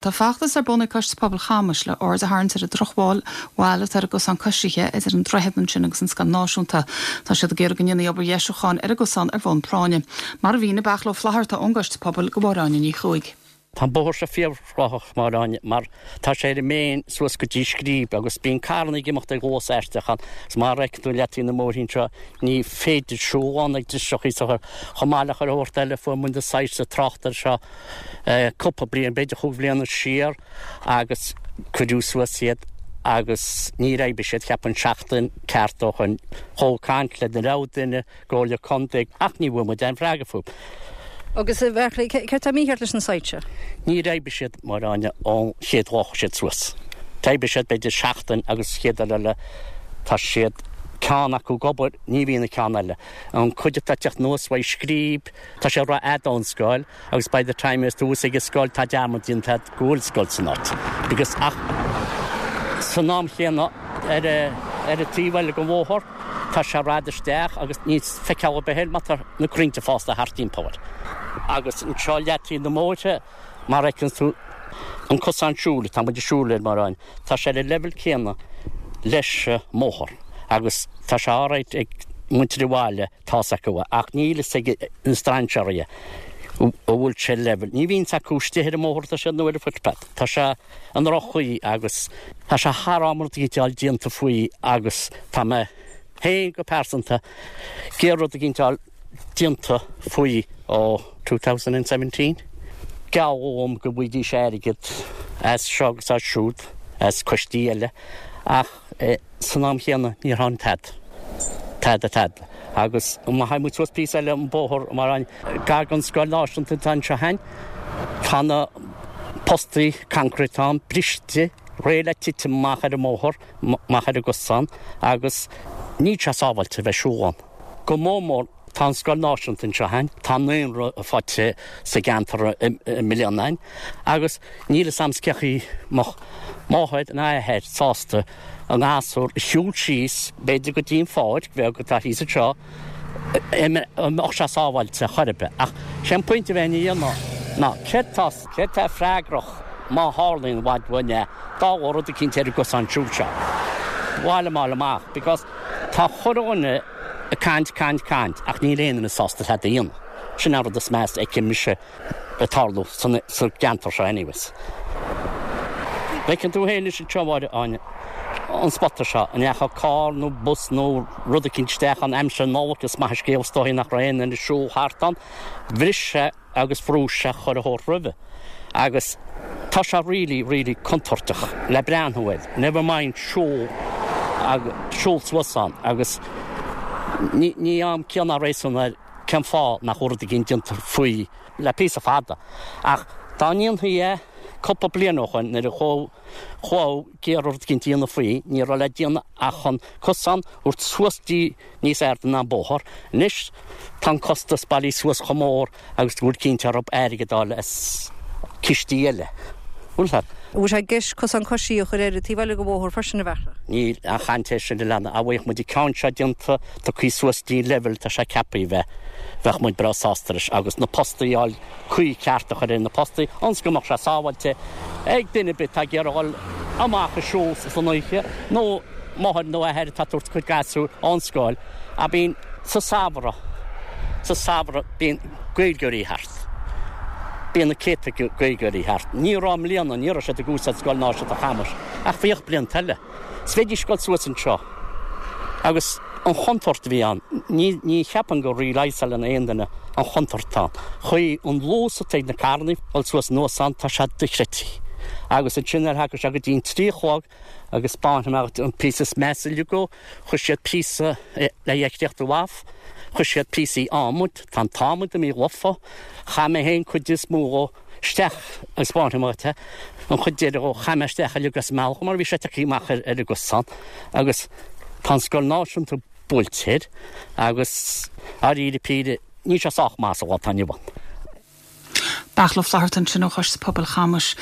Tá feachtas ar bun ag Coiste Pobail Chamais le aird a tharraingt ar an drochbhail bhail atá ar an gcosán coisithe idir an droichead ansin agus an Scoil Náisiúnta. Tá siad ag iarraidh go ndéanfaí obair dheisiúcháin ar an gcosán ar bhonn práinne. Mar a mhínigh Beartla Ó Flatharta ón gCoiste Pobail do Mháire Áine Ní Chuaig. Tá an bóthar seo fíorthráthach, Máire Áine, mar tá sé ar an mbéinn suas go dtí Scríb agus bíonn carranna ag imeacht ag luas aisteach ann agus mar a fheiceann tú leataobh na mbóithrín seo ní féidir siúl ann ag driseachaí so chomh maith le chuile shórt eile fuair muid na soilse tráchta seo cúpla bliain, b'fhéidir chúig bhliana siar agus cuireadh suas iad agus níor oibrigh siad, cheapfainn seachtain ceart ó shoin. Chuaigh ag caint le na raibh duine, gComhairle Contae ach ní bhfuair muid aon freagra fúthu. Agus a Bheartla, céard tá mícheart leis na soilse? Níor oibrigh siad, a Mháire Áine, ón chéad lá a chuaigh siad suas. D'oibrigh siad b'fhéidir seachtain agus chéad uair eile tá siad, ceann acu ag obair, ní bhíonn an ceann eile. An cuid atá ag teacht anuas uaidh Scríb, Tá sé rófhada ón scoil agus by the time is tú thuas ag an scoil tá dearmad déanta agat go bhfuil scoil san áit. Because ach san am chéanna ar ar an taobh eile den bhóthar tá sé rófhada isteach agus níl feiceáil ar bith air mar tá na crainnte fásta thart timpeall air. Agus anseo leataobh na mbóithre mar a fheiceann tú an cosán siúil atá muid ag siúl air mar tá sé ar an leibhéal céanna leis an mbóthar agus tá sé alright ag muintir an bhaile Tá's acu é, ach níl fhios ag na strainséaraí an bhfuil sé level. Ní bhíonn 's acu istigh ar an mbóthar atá siad nó ar an footpath. Tá sé i ndroch-chaoi agus tá sé thar am rud eicínt a fháil déanta faoi agus tá mé féin go pearsanta ag iarraidh rud eicínt a fháil déanta faoi ó 2017. Gealladh dhom go bhfaighidís airgead as seo agus as siúd, as coistí eile ach San am chéanna níor tháinig tada. Tada tada. Agus má théann muid suas píosa eile an bóthar mar an gar don scoil náisiúnta atá anseo againn, tá na postaí concrete ann briste, réidh le titim amach ar an mbóthar, amach ar an gcosán agus níl sé sábháilte a bheith ag siúl ann. Go mór mór Tá an scoil náisiúnta anseo againn, tá naíonra faighte sa gceantar i mbliana againn agus níl fhios a'm cén chaoi a mbeadh máthair nó athair sásta a ngasúr a shiúl síos b'fhéidir go dtí an pháirc bheag atá thíos anseo, an mbeadh sé sábháilte chor ar bith. Ach sé an pointe a bheinn a dhéanamh ná céard tá, céard tá freagrach má tharlaíonn i bhfad uainn é, dá bharr rud eicínt ar an gcosán siúil seo. Ba mhaith liom a fháil amach because tá chuile dhuine, Ag caint, caint, caint, ach níl aon duine sásta tada a dhéanamh. Sin an rud is measa a fheicim mise ag tarlú sa gceantar seo anyways. Feiceann tú féin anois anseo, a Mháire Áine, an spota seo, an ndeachaigh carr nó bus nó rud eicínt isteach ann aimsir na Nollag, is maith an scéal is dóichí nach raibh aon duine ag siúl thart ann. Bhris sé agus bhrúigh sé chuile shórt roimhe agus tá sé really, really contúirteach le breathnú air, never mind siúl agus siúl suas ann agus ní, ní fhaighim ciall ná réasún air cén fáth nach bhfuil rud éigin déanta faoi le píosa fada. Ach dá ndéanfaí é cúpla bliain ó shoin nuair a chuaigh, chuaigh ag iarraidh rud éigin a dhéanamh faoi, ní raibh le déanamh ach an cosán a thabhairt suas dtí níos airde ná an bóthar. Anois tá an costas bailithe suas chomh mór agus go bhfuil cinnte orthu airgead a fháil as cistí eile. Bhfuil fhios agat? An bhfuil sé i gceist cosán coisí a chur ar an taobh eile den bhóthar freisin, a Bheartla? Níl aon chaint air sin a leanadh. Dá bhfaigheadh muid an ceann seo déanta, tugtha suas dtí an leibhéal atá sé ceaptha a bheith, bheadh muid breá sásta leis agus na postaí a fháil caoi ceart a chur ar na postaí ionas go mbeadh sé sábháilte ag duine ar bith atá ag iarraidh dhul amach ag siúl san oíche nó máthair nó athair atá ag tabhairt a cuid gasúr ón scoil a bíonn sa samhradh sa samhradh bíonn Gaeilgeoirí thart. Bíonn na céadta Gaeilgeoirí thart. Ní raibh i mbliana, ní raibh siad ag úsáid Scoil Náisiúnta Chamais ach bhíodh blianta eile. 'S bheidís ag dul suas anseo agus an chontúirt a bhí ann, ní, ní cheapaim go realiseálann aon duine an chontúirt atá ann. Chaoi an luas atá ag na carrannaí dul suas anuas ann, tá sé dochreidte. Agus ansin nuair a thagann sé go dtí an trí a chlog agus 'spáinfidh mé dhuit an píosa is measa uilig dhó, chuir siad píosa le heicríocht i bhfaf, chuir siad píosaí adhmaid, tá an t-adhmad imithe lofa, chaith mé féin cuid is mó dhó, isteach agus 'spáinfidh mé dhuit é, an chuid deiridh dhó, chaith mé isteach uilig as an mbealach mar bhí sé tagtha amach ar an gcosán agus tá an scoil náisiúnta buailte air agus dáiríre píre níl sé sách maith sa lá atá inniu ann. Beartla Ó Flatharta ansin ó Choiste Pobail Chamais.